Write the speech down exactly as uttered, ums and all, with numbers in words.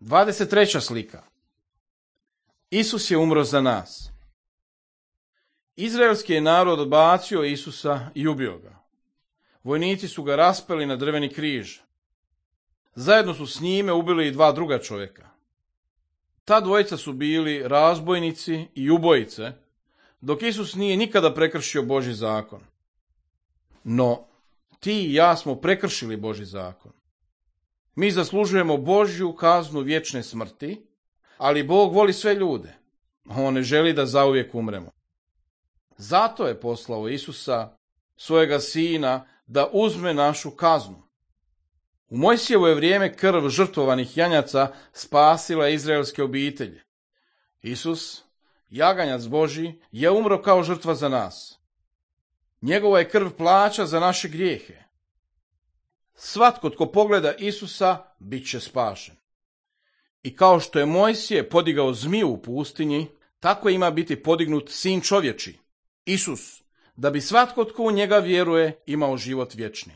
dvadeset treća slika. Isus je umro za nas. Izraelski je narod odbacio Isusa i ubio ga. Vojnici su ga raspeli na drveni križ. Zajedno su s njime ubili i dva druga čovjeka. Ta dvojica su bili razbojnici i ubojice, dok Isus nije nikada prekršio Božji zakon. No, ti i ja smo prekršili Božji zakon. Mi zaslužujemo Božju kaznu vječne smrti, ali Bog voli sve ljude. On ne želi da zauvijek umremo. Zato je poslao Isusa, svojega sina, da uzme našu kaznu. U Mojsijevo je vrijeme krv žrtvovanih janjaca spasila izraelske obitelji. Isus, jaganjac Božji, je umro kao žrtva za nas. Njegova je krv plaća za naše grijehe. Svatko tko pogleda Isusa, bit će spašen. I kao što je Mojsije podigao zmiju u pustinji, tako ima biti podignut sin čovječi, Isus, da bi svatko tko u njega vjeruje imao život vječni.